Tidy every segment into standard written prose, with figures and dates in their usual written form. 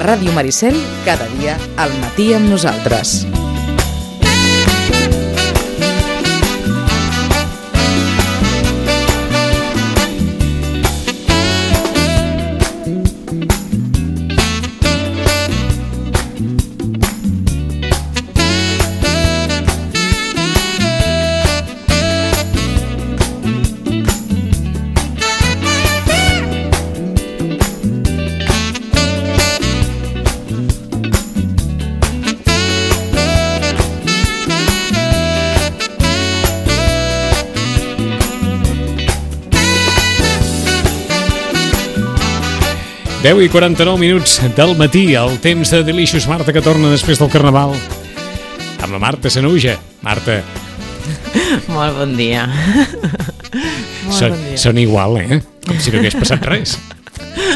Ràdio Maricel, cada dia al matí amb nosaltres. Deu i 49 minuts del matí, el temps de Delicious Marta que torna després del Carnaval amb la Marta Sanahuja. Marta. Molt bon dia. Són igual, Com si no hagués passat res.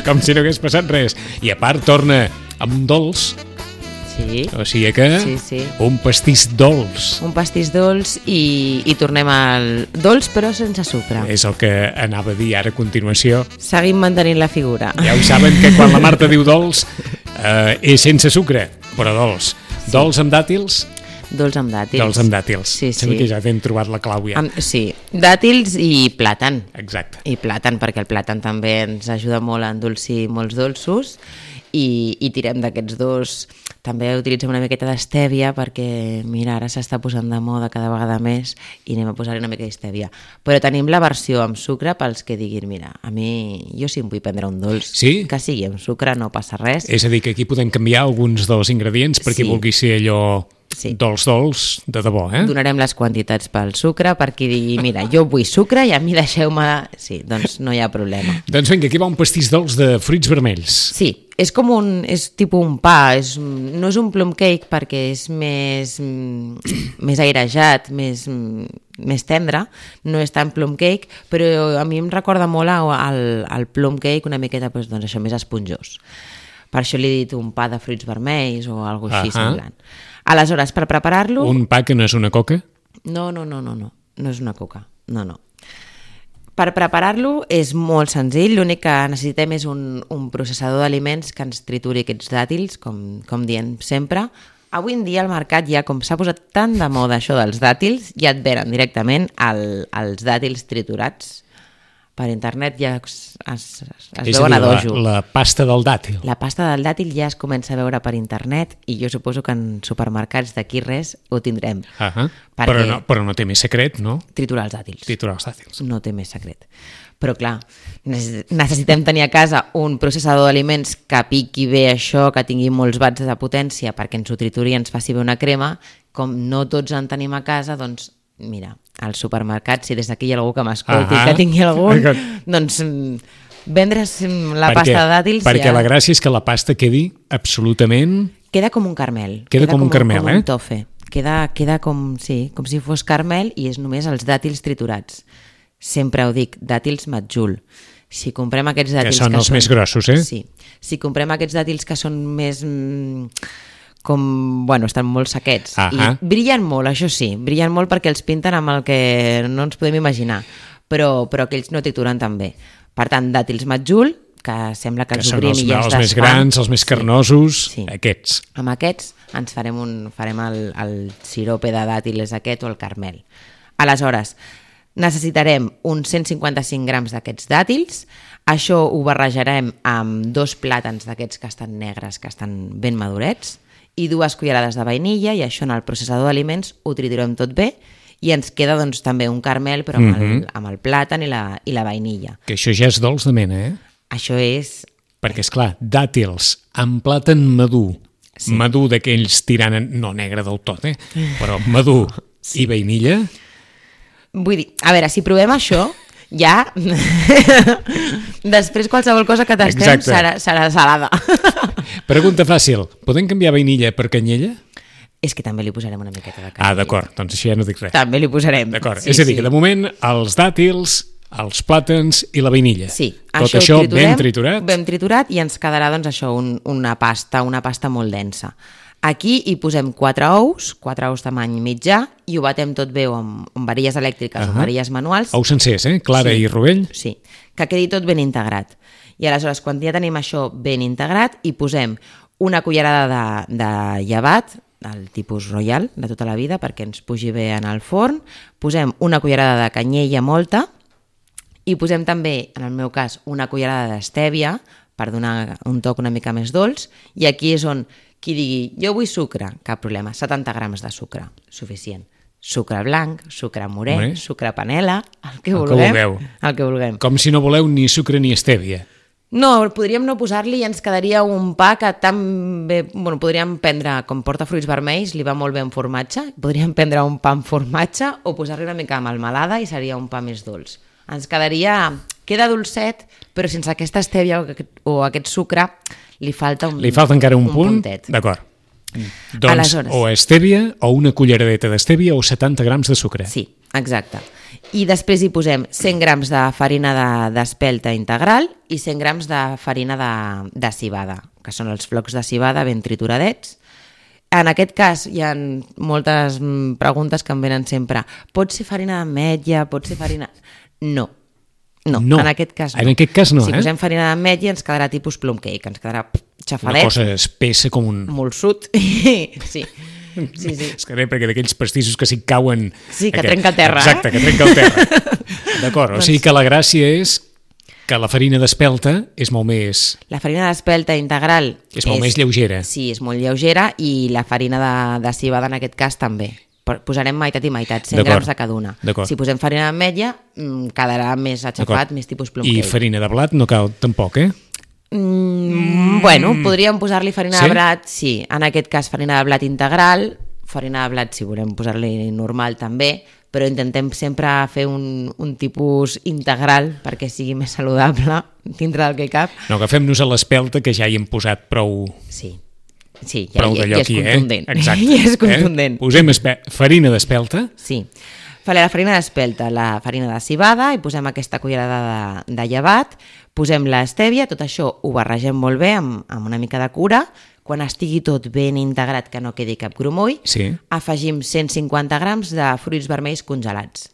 Com si no hagués passat res. I a part torna amb un dolç. Sí. O sigui que sí. Un pastís dolç. Un pastís dolç i tornem al dolç però sense sucre. És el que anava a dir ara a continuació. Seguim mantenint la figura. Ja ho saben que quan la Marta diu dolç és sense sucre, però dolç. Sí. Dolç amb dàtils? Dolç amb dàtils. Dolç amb dàtils. Sí. Sembla que ja hem trobat la clau ja. Sí, dàtils i plàtan. Exacte. I plàtan, perquè el plàtan també ens ajuda molt a endolcir molts dolços i tirem d'aquests dos. També utilitzem una miqueta d'estèvia perquè, mira, ara s'està posant de moda cada vegada més i anem a posar-hi una mica d'estèvia. Però tenim la versió amb sucre pels que diguin, mira, a mi, jo si em vull prendre un dolç, que sigui amb sucre, no passa res. És a dir, que aquí podem canviar alguns dels ingredients perquè vulgui ser allò dolç, de debò, Donarem les quantitats pel sucre per qui digui, mira, jo vull sucre i a mi deixeu-me... Sí, doncs no hi ha problema. Doncs vinga, aquí va un pastís dolç de fruits vermells. Sí, és com és tipus un pa, no és un plum cake perquè és més airejat, més tendre, no és tan plum cake, però a mi em recorda molt al plum cake una miqueta, doncs això, més esponjós. Per això li he dit un pa de fruits vermells o alguna cosa així semblant. Aleshores, per preparar-lo... Un pa que no és una coca? No és una coca, no. Per preparar-lo és molt senzill, l'únic que necessitem és un processador d'aliments que ens trituri aquests dàtils, com diem sempre. Avui en dia al mercat ja, com s'ha posat tan de moda això dels dàtils, ja et venen directament els dàtils triturats. Per internet ja es veuen a dojo. La pasta del dàtil. La pasta del dàtil ja es comença a veure per internet i jo suposo que en supermercats d'aquí res ho tindrem. Però no té més secret, no? Triturar els dàtils. Triturar els dàtils. No té més secret. Però clar, necessitem tenir a casa un processador d'aliments que piqui bé això, que tingui molts watts de potència perquè ens ho trituri i ens faci bé una crema. Com no tots en tenim a casa, doncs mira, al supermercat, si des d'aquí hi ha algú que m'escolti, que tingui algun, doncs vendre's la pasta de dàtils... Perquè la gràcia és que la pasta quedi absolutament... Queda com un caramel. Queda com un caramel, com un tofe. Queda com si fos caramel i és només els dàtils triturats. Sempre ho dic, dàtils Majul. Si comprem aquests dàtils... Que són els més grossos, Sí. Si comprem aquests dàtils que són més... estan molt sequets i brillen molt, això sí, brillen molt perquè els pinten amb el que no ens podem imaginar, però aquells no trituren tan bé. Per tant, dàtils Majul, que sembla que els obrim i ja es desfan. Els més grans, els més carnosos, aquests. Amb aquests ens farem el sirope de dàtils aquest o el caramel. Aleshores, necessitarem uns 155 grams d'aquests dàtils. Això ho barrejarem amb 2 plàtans d'aquests que estan negres, que estan ben madurets, i 2 cullerades de vainilla, i això en el processador d'aliments ho triturem tot bé i ens queda doncs també un caramel però amb el plàtan i la vainilla. Que això ja és dolç de mena, Això és... Perquè, esclar, dàtils amb plàtan madur, madur d'aquells tirant, no negre del tot, però madur i vainilla... Vull dir, a veure, si provem això... Ja, després qualsevol cosa que tastem serà salada. Pregunta fàcil, podem canviar vainilla per canyella? És que també li posarem una miqueta de canyella. D'acord, doncs això ja no dic res. També li posarem. D'acord, és a dir, que de moment els dàtils, els plàtans i la vainilla. Sí. Tot això ben triturat. Ben triturat i ens quedarà doncs això, una pasta molt densa. Aquí hi posem 4 ous tamany mitjà, i ho batem tot bé amb varilles elèctriques o varilles manuals. Ous sencers, clara i rovell. Sí, que quedi tot ben integrat. I aleshores, quan ja tenim això ben integrat, hi posem una cullerada de llevat, del tipus royal, de tota la vida, perquè ens pugi bé en el forn. Posem una cullerada de canyella molta i posem també, en el meu cas, una cullerada d'estèvia per donar un toc una mica més dolç. I aquí és on qui digui, jo vull sucre, cap problema, 70 grams de sucre, suficient. Sucre blanc, sucre morè, sucre panela, el que vulguem. Com si no voleu ni sucre ni estèvia. No, podríem no posar-li i ens quedaria un pa que tan bé... Bueno, podríem prendre, com porta fruits vermells, li va molt bé amb formatge, podríem prendre un pa amb formatge o posar-li una mica de melmelada i seria un pa més dolç. Ens quedaria... Queda dolcet, però sense aquesta estèvia o aquest sucre li falta un... Li falta encara un punt? Puntet. D'acord. Doncs aleshores, o estèvia, o una culleradeta d'estèvia o 70 grams de sucre. Sí, exacte. I després hi posem 100 grams de farina d'espelta integral i 100 grams de farina de civada, que són els flocs de civada ben trituradets. En aquest cas hi ha moltes preguntes que em venen sempre. Pot ser farina d'ametlla? Pot ser farina... No, en aquest cas no. En aquest cas no, si posem farina d'ametlla ens quedarà tipus plum cake, ens quedarà xafadet. Una cosa espessa com un... Molsut, sí. Sí. És que perquè d'aquells pastissos que si cauen... Sí, que trenca el terra. Exacte, que trenca el terra. D'acord, o sigui que la gràcia és que la farina d'espelta és molt més... La farina d'espelta integral... És molt més lleugera. Sí, és molt lleugera i la farina de civada en aquest cas també. Posarem meitat i meitat, 100 grams de cada una. Si posem farina d'ametlla quedarà més aixafat, més tipus plum cake. I farina de blat no cal tampoc, eh? Bueno, podríem posar-li farina de blat, sí. En aquest cas farina de blat integral, farina de blat si volem posar-li normal també, però intentem sempre fer un tipus integral perquè sigui més saludable dintre del que cap. No, agafem-nos a l'espelta que ja hi hem posat prou... Sí, ja és contundent. Exacte. Ja és contundent. Posem farina d'espelta. Sí. La farina d'espelta, la farina de civada i posem aquesta cullerada de llevat, posem l'estèvia, tot això ho barregem molt bé amb una mica de cura. Quan estigui tot ben integrat, que no quedi cap grumoll, afegim 150 grams de fruits vermells congelats.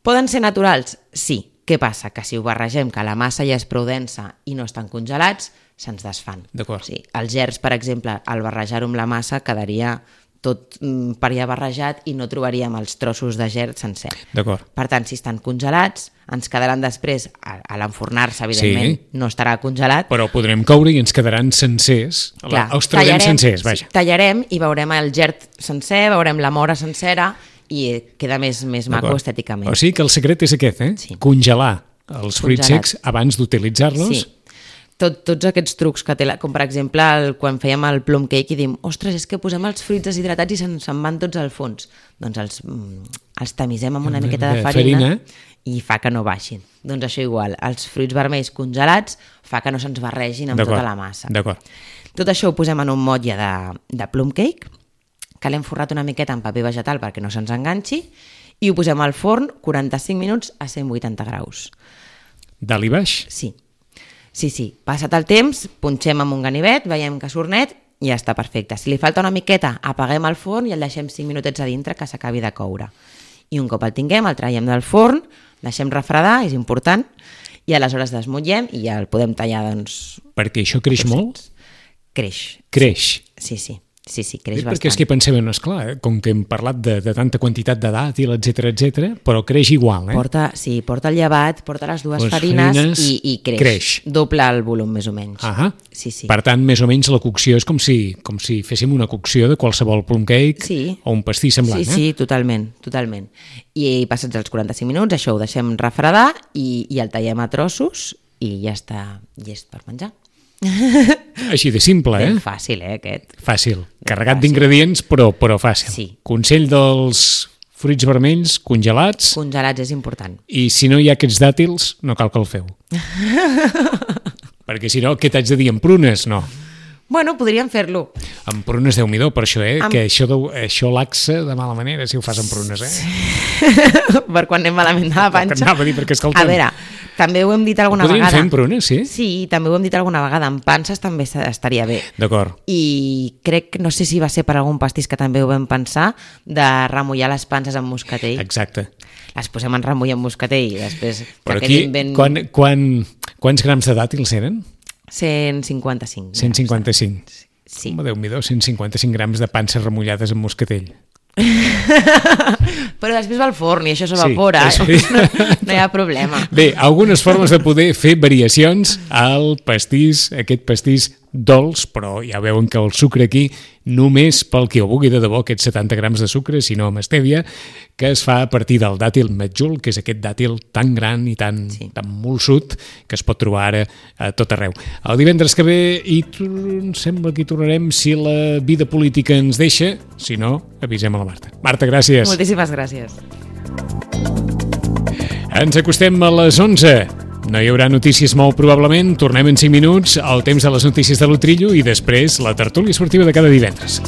Poden ser naturals? Sí. Què passa? Que si ho barregem, que la massa ja és prou densa i no estan congelats, se'ns desfan. D'acord. Sí. Els gerds, per exemple, al barrejar-ho amb la massa quedaria tot per allà barrejat i no trobaríem els trossos de gerd sencer. D'acord. Per tant, si estan congelats, ens quedaran després, a l'enfornar-se, evidentment, no estarà congelat. Però podrem coure i ens quedaran sencers. Clar, els traurem sencers, vaja. Tallarem i veurem el gerd sencer, veurem la mora sencera i queda més maco estèticament. O sigui que el secret és aquest, Sí. Congelar els fruits secs abans d'utilitzar-los. Sí. Tots aquests trucs que té, com per exemple quan fèiem el plum cake i diem, ostres, és que posem els fruits deshidratats i se'n van tots al fons. Doncs els tamisem amb una miqueta de farina i fa que no baixin. Doncs això igual, els fruits vermells congelats fa que no se'ns barregin amb tota la massa. D'acord. Tot això ho posem en un motlle de plum cake, que l'hem forrat una miqueta amb paper vegetal perquè no se'ns enganxi, i ho posem al forn 45 minuts a 180 graus. Dalt i baix? Sí. Passat el temps, punxem amb un ganivet, veiem que surt net i ja està perfecte. Si li falta una miqueta, apaguem el forn i el deixem 5 minutets a dintre que s'acabi de coure. I un cop el tinguem, el traiem del forn, deixem refredar, és important, i aleshores desmutllem i ja el podem tallar, doncs... Perquè això creix molt? Creix. Sí, creix bastant. Perquè és que pensem, esclar, com que hem parlat de tanta quantitat de dàtil, etc, però creix igual, Porta el llevat, porta les dues farines i creix. Doble el volum, més o menys. Sí. Per tant, més o menys la cocció és com si féssim una cocció de qualsevol plum cake o un pastís semblant. Sí, totalment. I passats els 45 minuts, això ho deixem refredar i el tallem a trossos i ja està llest per menjar. Així de simple, Ben fàcil, aquest. Fàcil. Carregat d'ingredients, però fàcil. Sí. Consell dels fruits vermells congelats. Congelats és important. I si no hi ha aquests dàtils, no cal que el feu. Perquè si no, què t'haig de dir? Amb prunes? No. Bueno, podríem fer-lo. Amb prunes, Déu-n'hi-do, per això, que això laxa de mala manera si ho fas amb prunes, Per quan anem malament de la panxa. Anava a dir, perquè escolta'm... A veure, també ho hem dit alguna vegada. Podríem fer amb prunes, sí? Sí, també ho hem dit alguna vegada. Amb panses també estaria bé. D'acord. I crec, no sé si va ser per algun pastís que també ho vam pensar, de remullar les panses amb moscatell. Exacte. Les posem en remull amb moscatell i després... Però aquí, quants grams de dàtils eren? 155. 155. Sí. Home, Déu-m'hi-do, 155 grams de panses remullades amb moscatell. Però després va al forn i això s'evapora, Sí. no hi ha problema. Bé, algunes formes de poder fer variacions al pastís, aquest pastís dolç, però ja veuen que el sucre aquí només pel que ho vulgui de debò, aquests 70 grams de sucre, sinó amb stèvia, que es fa a partir del dàtil metjul, que és aquest dàtil tan gran i tan molsut que es pot trobar ara a tot arreu. El divendres que ve em sembla que hi tornarem si la vida política ens deixa, si no, avisem a la Marta. Marta, gràcies. Moltíssimes gràcies. Ens acostem a les 11. No hi haurà notícies molt probablement, tornem en 5 minuts, el temps de les notícies de l'Utrillo i després la tertúlia esportiva de cada divendres.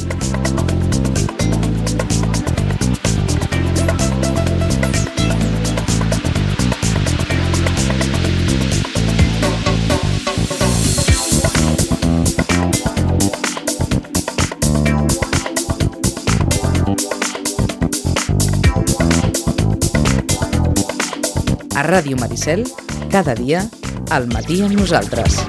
A Ràdio Maricel, cada dia, al matí amb nosaltres.